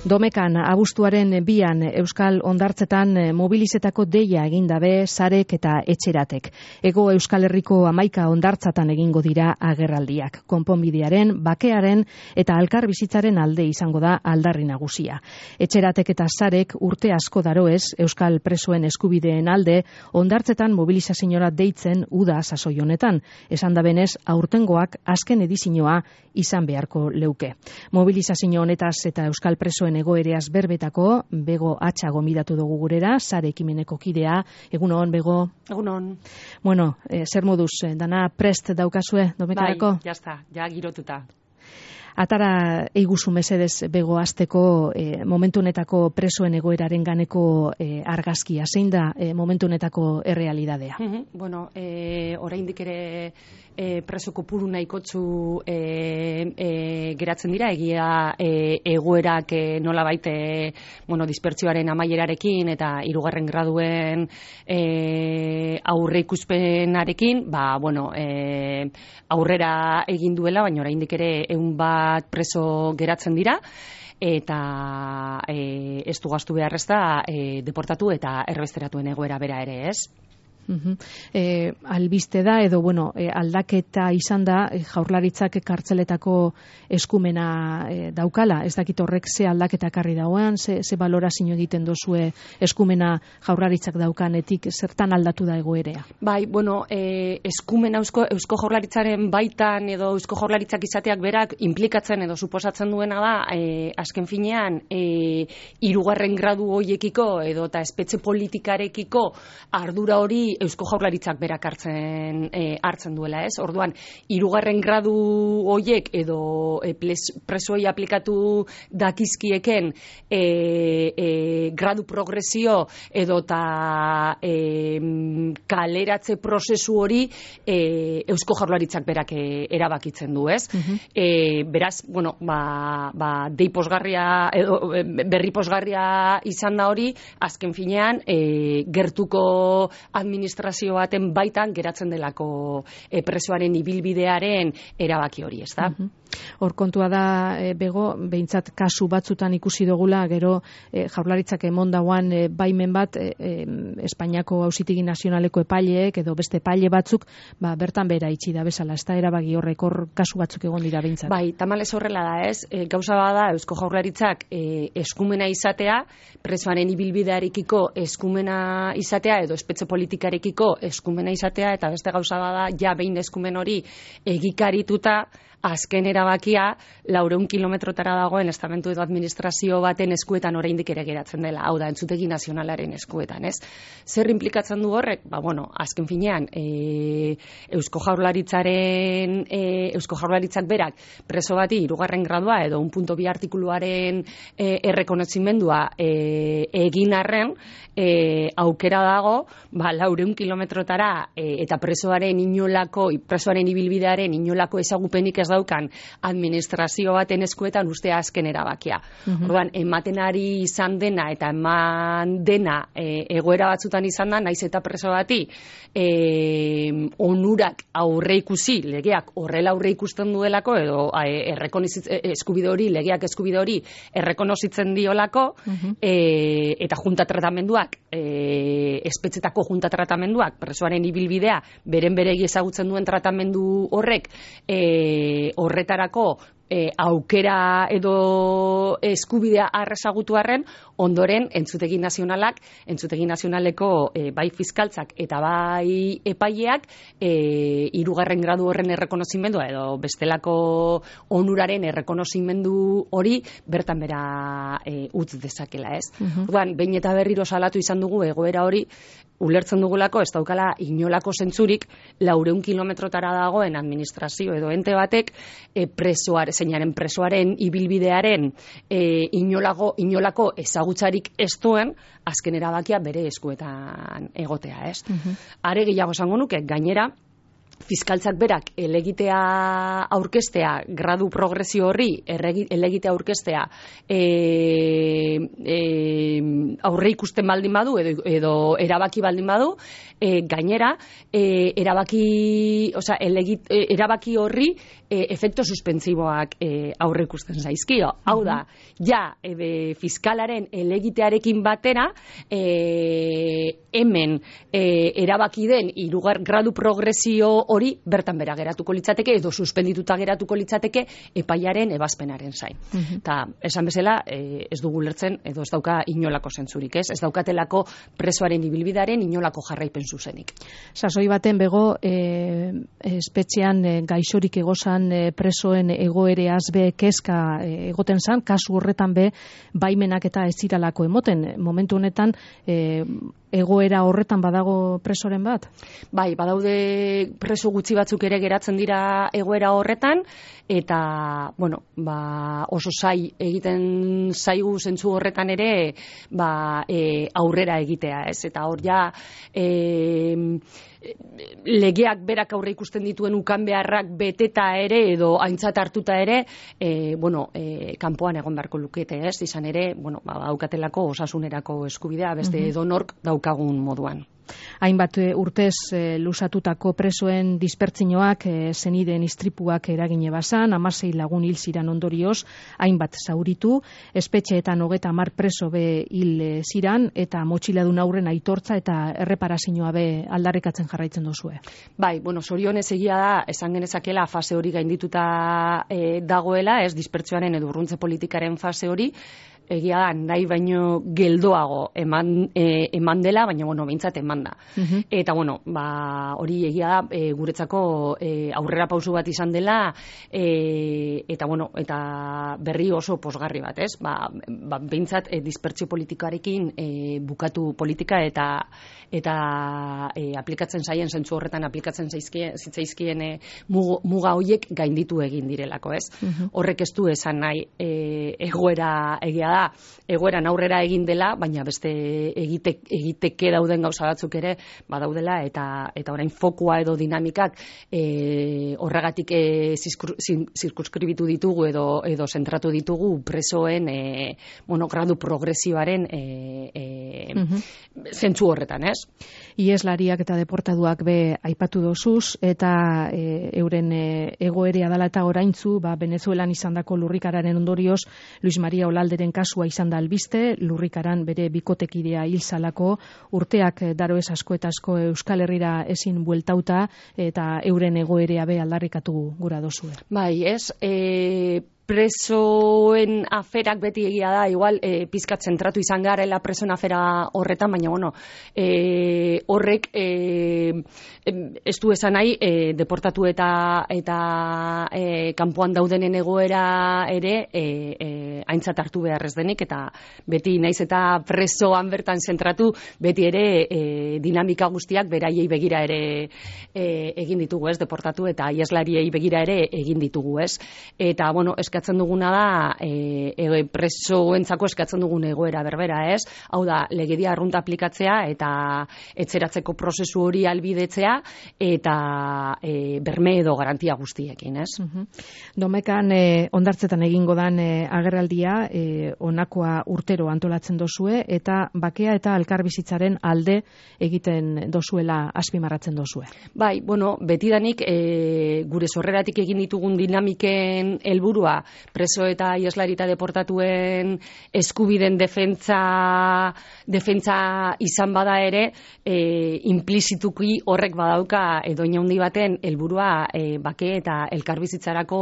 Domekan abuztuaren 2an Euskal Hondartzetan mobilizetako deia egin dabe sarek eta etxeratek. Hego Euskal Herriko 11 hondartzatan egingo dira agerraldiak. Konponbidearen, bakearen eta elkar bizitzaren alde izango da aldarri nagusia. Etxeratek eta sarek urte asko daroez Euskal presoen eskubideen alde hondartzetan mobilizaziora deitzen uda sasoi honetan. Esan da benez, aurtengoak azken edizioa izan beharko leuke. Mobilizazio honetaz eta Euskal presoen egoereaz berbetako Bego Atxa gomidatu dugu gurera, sare ekimeneko kidea. Egunon, Bego? Egunon. Bueno, zer moduz, dana prest daukazue, Domekarako? Bai, jazta, ja girotuta. Atara eiguzu mesedez Bego azteko momentu honetako presoen egoeraren ganeko argazkia. Zein da momentu honetako errealidadea? Bueno, oraindik ere preso kopuru nahikotzu geratzen dira, egia egoerak nolabait dispertsioaren amaierarekin eta 3. graduen aurreikuspenarekin, aurrera egin duela, baina oraindik ere 100 preso geratzen dira, eta ez du gastu behar ez da deportatu eta erbesteratuen egoera bera ere, ez? Albiste da edo aldaketa izan da Jaurlaritzak kartzeletako eskumena daukala. Ez dakit horrek ze aldaketa ekarri dagoen, ze balorazio egiten dozue eskumena Jaurlaritzak daukanetik, zertan aldatu da egoerea? Bai, eskumena Eusko Jaurlaritzaren baitan edo Eusko Jaurlaritzak izateak berak implikatzen edo suposatzen duena da azken finean 3. gradu hoiekiko edo eta espetxe politikarekiko ardura hori Eusko Jaurlaritzak berak hartzen duela, ez? Orduan, 3. gradu hoiek edo presoei aplikatu dakizkieken gradu progresio edo eta kaleratze prozesu hori Eusko Jaurlaritzak berak erabakitzen du, ez? Beraz, dei posgarria edo berri posgarria izan da hori, azken finean gertuko administrazio baten baitan geratzen delako presoaren ibilbidearen erabaki hori, ez da? Hor kontua da, Bego, behintzat kasu batzutan ikusi dugula, gero Jaurlaritzak emondagoan baimen bat Espainiako Auzitegi Nazionaleko epaileek edo beste epaile batzuk bertan bera itxi da bezala, ez da erabaki horrek hor kasu batzuk egon dira behintzat. Bai, tamalez horrela da, ez? Gauza bada Eusko Jaurlaritzak eskumena izatea, presoaren ibilbidearekiko eskumena izatea edo espetxe politikarekiko eskumena izatea, eta beste gauza bada ja behin eskumen hori egikarituta azken erabakia 400 kilometrotara dagoen estamentu edo administrazio baten eskuetan oraindik ere geratzen dela, hau da, Entzutegi Nazionalaren eskuetan, ez? Zer implikatzen du horrek? Azken finean, Eusko Jaurlaritzak berak preso bati 3. gradua edo 1.2 artikuluaren errekonozimendua egin arren, aukera dago, 400 kilometrotara eta presoaren ibilbidearen inolako ezagupenik ez daukan administrazio baten eskuetan ustea azken erabakia. Orduan, ematen ari izan dena eta eman dena egoera batzutan izan da, naiz eta preso bati onurak aurreikusi, legeak horrela aurreikusten duelako edo eskubide hori, legeak eskubide hori errekonozitzen diolako, eta junta tratamenduak, espetxetako junta tratamenduak, presoaren ibilbidea, beren beregi ezagutzen duen tratamendu horrek, horretarako aukera edo eskubidea arrezagutu arren, ondoren Entzutegi Nazionaleko bai fiskaltzak eta bai epaileak 3. gradu horren errekonozimendua edo bestelako onuraren errekonozimendu hori bertan bera utz dezakela, ez? Orduan, behin eta berriro salatu izan dugu egoera hori, ulertzen dugulako ez daukala inolako zentzurik 400 kilometrotara dagoen administrazio edo ente batek presoaren ibilbidearen inolako ezagutzarik ez duen azken erabakia bere eskuetan egotea, ez? Are gehiago esango nuke, gainera fiskaltzak berak elegitea aurkeztea, gradu progresio horri elegitea aurkeztea aurre ikusten baldin badu edo erabaki baldin badu, gainera erabaki horri efekto suspentsiboak aurre ikusten zaizkio. Hau da, fiskalaren elegitearekin batera hemen erabaki den 3. gradu progresio hori bertan bera geratuko litzateke edo suspendituta geratuko litzateke epaiaren ebazpenaren zain. Eta esan bezala ez dugu lertzen edo ez dauka inolako zentzurik, ez daukatelako presoaren ibilbidearen inolako jarraipen zuzenik. Sasoi baten bego espetxean gaixorik egozan presoen egoereaz be kezka egoten zan, kasu horretan be baimenak eta ez ziralako emoten. Momentu honetan egoera horretan badago presoren bat? Bai, badaude preso gutxi batzuk ere geratzen dira egoera horretan, eta, bueno, oso zai egiten zaigu zentzu horretan ere, aurrera egitea, ez? Eta hor ja, legeak berak aurre ikusten dituen ukan beharrak beteta ere edo aintzat hartuta ere, kanpoan egon beharko lukete, ez? Izan ere, daukatelako osasunerako eskubidea beste edonork daukagun moduan. Hainbat urtez lusatutako presoen dispertzinoak zeniden istripuak eragine bazan, 16 lagun hil ziran ondorioz, hainbat zauritu, espetxeetan 30 preso be hil ziran, eta motxiladun aurren aitortza eta erreparazioa be aldarrikatzen jarraitzen duzue. Bai, zorionez egia da, esan genezakela fase hori gaindituta dagoela, ez dispertsioaren edo urruntze politikaren fase hori, egia da, nahi baino geldoago eman dela, baina, behintzat eman da. Eta, hori egia da, guretzako aurrera pausu bat izan dela, eta berri oso posgarri bat, ez? Behintzat, dispertsio politikarekin bukatu politika eta aplikatzen zaien, zentzu horretan aplikatzen zitzaizkien muga horiek gainditu egin direlako, ez? Horrek ez du esan nahi egoera egia da, egoeran aurrera egin dela, baina beste egiteke dauden gauza batzuk ere badaudela, eta orain fokua edo dinamikak horregatik zirkunskribitu ditugu edo zentratu ditugu presoen gradu progresioaren zentzu horretan, ez? Ieslariak eta deportaduak be aipatu dozuz, eta euren egoerea dela eta oraintzu, Venezuelan izandako lurrikararen ondorioz, Luis Maria Olalderen kasua izan da albiste, lurrikaran bere bikotekidea hil zalako, urteak daro ez asko eta asko Euskal Herrira ezin bueltauta, eta euren egoerea be aldarrikatu gura dozue. Bai, ez, presoen aferak beti egia da, igual pizkat zentratu izan garela presoen afera horretan, baina horrek ez du esan nahi deportatu eta kanpoan daudenen egoera ere aintzat hartu behar ez denik, eta beti naiz eta presoan bertan zentratu, beti ere dinamika guztiak beraiei begira ere egin ditugu, ez, deportatu eta ieslariei begira ere egin ditugu, ez, eta eskatzen duguna da presoentzako eskatzen dugun egoera berbera, ez? Hau da, legedia arrunta aplikatzea eta etzeratzeko prozesu hori albidetzea eta berme edo garantia guztiekin, ez? Domekan ondartzetan egingo dan agerraldia honakoa urtero antolatzen dozue, eta bakea eta elkarbizitzaren alde egiten dozuela azpimarratzen dozue. Bai, betidanik gure sorreratik egin ditugun dinamiken helburua preso eta ieslari eta deportatuen eskubiden defentsa izan bada ere, implizituki horrek badauka edoin handi baten helburua bake eta elkarbizitzarako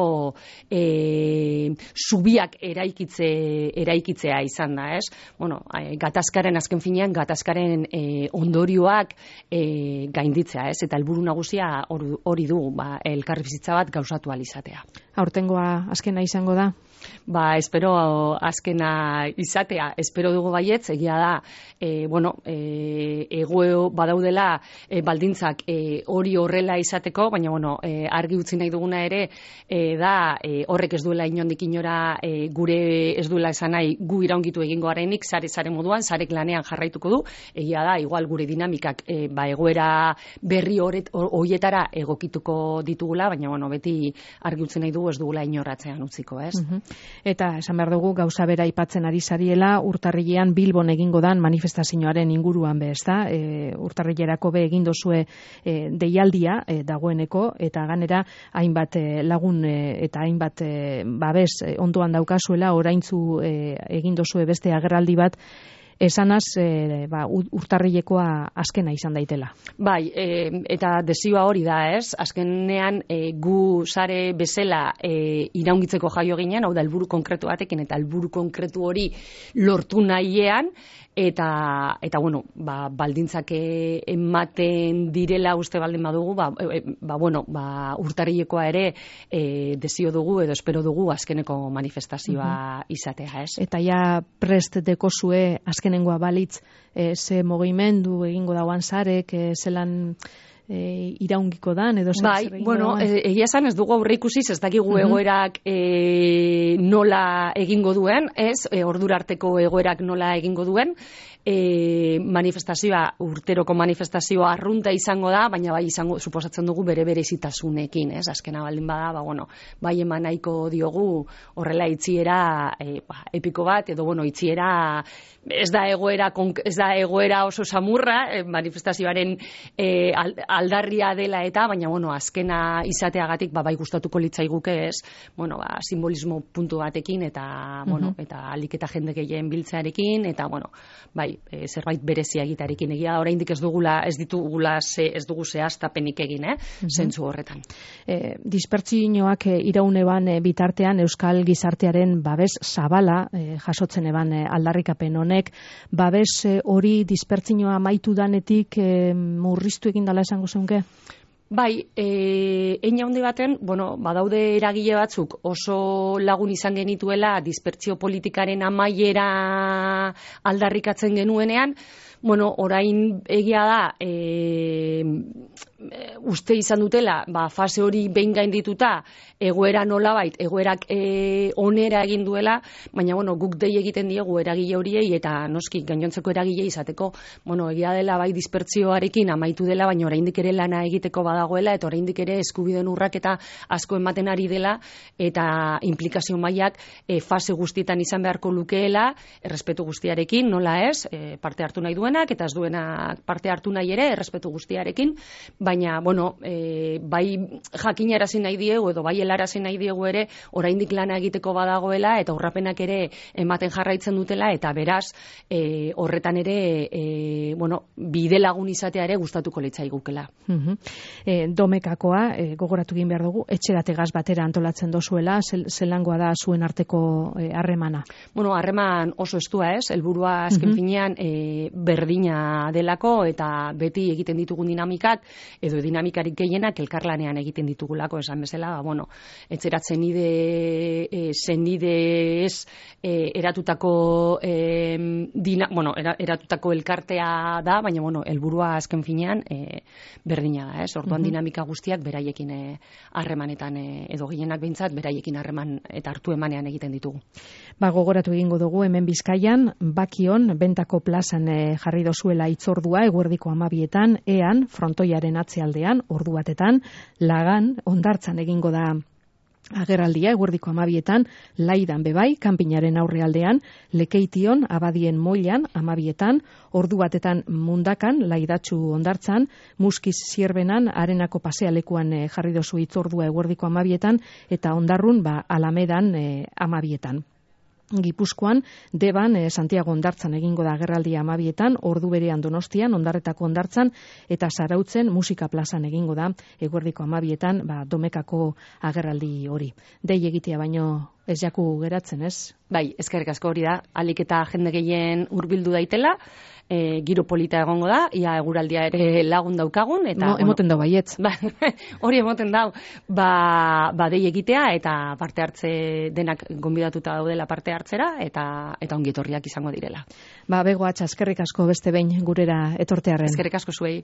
zubiak eraikitzea izan da, ez? Gatazkaren azken finean, gatazkaren ondorioak gainditzea, ez? Eta helburu nagusia hori du, elkarbizitza bat gauzatu ahal izatea. Aurtengoa azkena izango da? Espero azkena izatea, espero dugu baietz, egia da, egoeo badaudela baldintzak hori horrela izateko, baina, argi utzi nahi duguna ere, da, horrek ez duela inondik inora gure ez duela esan nahi gu iraungitu egingo garenik, sare moduan, sarek lanean jarraituko du, egia da, igual gure dinamikak egoera berri horietara egokituko ditugula, baina, beti argi utzi nahi dugu ez dugula inorratzean utziko, ez? Eta esan behar dugu gauza bera aipatzen ari zariela, urtarrilean Bilbon egingo dan manifestazioaren inguruan be, ezta? Urtarrilerako be egin dozue deialdia dagoeneko, eta ganera hainbat lagun eta hainbat babes ondoan daukazuela, oraintzu egin dozue beste agerraldi bat, esanaz urtarrilekoa azkena izan daitela. Bai, eta desioa hori da, ez? Azkenean gu sare bezala iraungitzeko jaio ginen, hau da helburu konkretu batekin, eta helburu konkretu hori lortu nahiean, eta baldintzak ematen direla uste baldin badugu, urtarrilekoa ere desio dugu edo espero dugu azkeneko manifestazioa izatea, ez? Eta ja prest dekozue azkenengoa balitz ze mugimendu egingo dauan zarek, zelan iraungiko dan edo egia esan ez dugu aurreikusi, ez dakigu egoerak nola egingo duen, ez, ordura arteko egoerak nola egingo duen, manifestazioa, urteroko manifestazioa arrunta izango da, baina bai izango, suposatzen dugu berezitasunekin, ez, azkena baldin bada, bai eman nahiko diogu horrela itziera epiko bat, edo itziera ez da egoera oso samurra, manifestazioaren aldarria dela eta, baina azkena izateagatik bai gustatuko litzaiguke, ez, simbolismo puntu batekin eta eta alik eta jende gehien biltzearekin, eta zerbait berezia egitarekin, egia oraindik ez dugu zehaztapenik egin, zentzu horretan. Dispertsioak irauneban bitartean euskal gizartearen babes zabala jasotzen eban aldarrikapen honek, babes hori dispertsioa amaitu danetik murriztu egin dela esango zeunke? Bai, hein handi baten, badaude eragile batzuk oso lagun izan genituela dispertsio politikaren amaiera aldarrikatzen genuenean, orain egia da uste izan dutela, fase hori behin gaindituta, egoera nolabait, egoerak onera egin duela, baina guk dei egiten diegu eragile horiei eta noski gainontzeko eragile izateko, egia dela bai dispertsioarekin amaitu dela, baina oraindik ere lana egiteko badagoela eta oraindik ere eskubideen urraketa asko ematen ari dela eta implikazio mailak fase guztietan izan beharko lukeela, errespetu guztiarekin, nola ez, parte hartu nahi duenak eta ez duenak parte hartu nahi ere, errespetu guztiarekin, baina, bai jakinarazi nahi diegu edo bai helarazi nahi diegu ere, oraindik lana egiteko badagoela eta urrapenak ere ematen jarraitzen dutela eta beraz, horretan ere, bide lagun izatea ere gustatuko litzaigukela. Domekakoa, gogoratu egin behar dugu, etxerategaz batera antolatzen dozuela, zelangoa da zuen arteko harremana? Harreman oso estua ez, helburua azken finean berdina delako eta beti egiten ditugun dinamikak edo dinamikarik gehienak elkarlanean egiten ditugulako, esan bezala, etxeratzen zenide ez eratutako eratutako elkartea da, baina helburua azken finean berdina da, ez? Orduan dinamika guztiak beraiekin harremanetan edo gehienak behintzat beraiekin harreman eta hartu emanean egiten ditugu. Gogoratu egingo dugu hemen Bizkaian, Bakion, Bentako plazan jarri dozuela itzordua eguerdiko 12etan, ean, frontoiaren atzealdean, ordu batetan, Lagan, Hondartzan egingo da agerraldia eguerdiko 12etan, Laidan bebai, kanpinaren aurrealdean, Lekeition, Abadien Moilan, 12etan, ordu batetan Mundakan, Laidatxu Hondartzan, Muskiz Zierbenan, Arenako pasealekuan jarri dozu itzordua eguerdiko 12etan, eta Hondarrun, Alamedan 12etan. Gipuzkoan, Deban, Santiago Hondartzan egingo da agerraldia 12etan, ordu berean Donostian, Hondarretako Hondartzan, eta Zarautzen Musika plazan egingo da eguerdiko 12etan, Domekako agerraldi hori. Dei egitea baino ez jaku geratzen, ez? Bai, eskerrik asko hori da, alik eta jende gehien hurbildu daitela, giro polita egongo da, ia eguraldia ere lagun daukagun, eta... Emoten dau baietz. Hori emoten dau, dei egitea, eta parte hartze denak gonbidatuta daudela parte hartzera, eta ongi etorriak izango direla. Bego Atxa, eskerrik asko beste behin gurera etortearren. Eskerrik asko zuei.